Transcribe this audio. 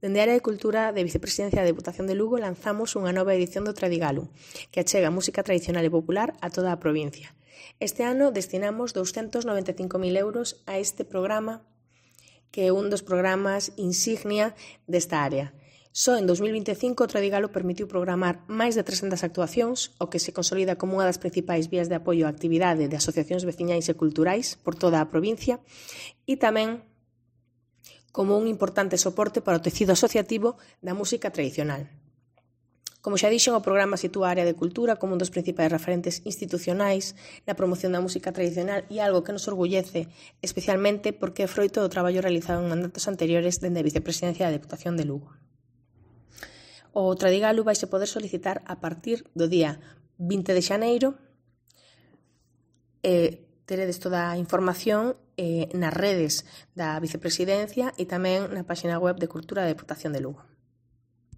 Dende a Área de Cultura de Vicepresidencia da Deputación de Lugo lanzamos unha nova edición do Tradigalu, que achega música tradicional e popular a toda a provincia. Este ano destinamos 295.000 euros a este programa, que é un dos programas insignia desta área. Só en 2025 o Tradigalu permitiu programar máis de 300 actuacións, o que se consolida como unha das principais vías de apoio á actividade de asociacións veciñais e culturais por toda a provincia e tamén como un importante soporte para o tecido asociativo da música tradicional. Como xa dixen, o programa sitúa a Área de Cultura como un dos principais referentes institucionais na promoción da música tradicional e algo que nos orgullece especialmente porque é froito do traballo realizado en mandatos anteriores dende a Vicepresidencia da Deputación de Lugo. O Tradigalu vaise poder solicitar a partir do día 20 de xaneiro. Teredes toda a información nas redes da Vicepresidencia e tamén na página web de Cultura da Deputación de Lugo.